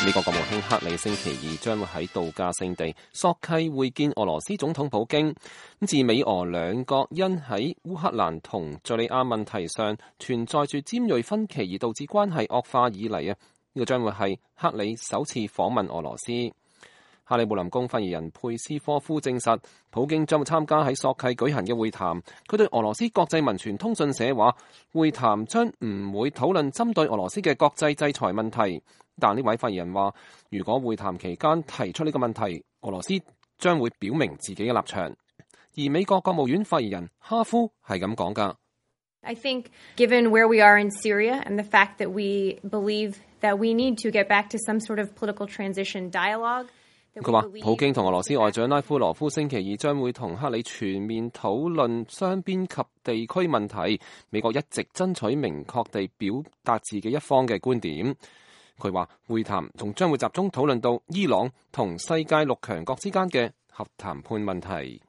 美國國務卿克里星期二將會喺度假勝地索契會見俄羅斯總統普京。自美俄兩國因喺烏克蘭同敘利亞問題上存在住尖銳分歧而導致關係惡化以嚟，呢個將會係克里首次訪問俄羅斯。克里姆林宮發言人佩斯科夫證實，普京將會參加喺索契舉行嘅會談。佢對俄羅斯國際民傳通訊社話，會談將唔會討論針對俄羅斯嘅國際制裁問題。但呢位發言人話，如果會談期間提出呢個問題，俄羅斯將會表明自己嘅立場。而美國國務院發言人哈夫係咁講㗎。I think given where we are in Syria and the fact that we believe that we need to get back to some sort of political transition dialogue。佢話普京同俄羅斯外長拉夫羅夫星期二將會同克里全面討論雙邊及地區問題。美國一直爭取明確地表達自己一方嘅觀點。佢話會談仲將會集中討論到伊朗同世界6強國之間嘅核談判問題。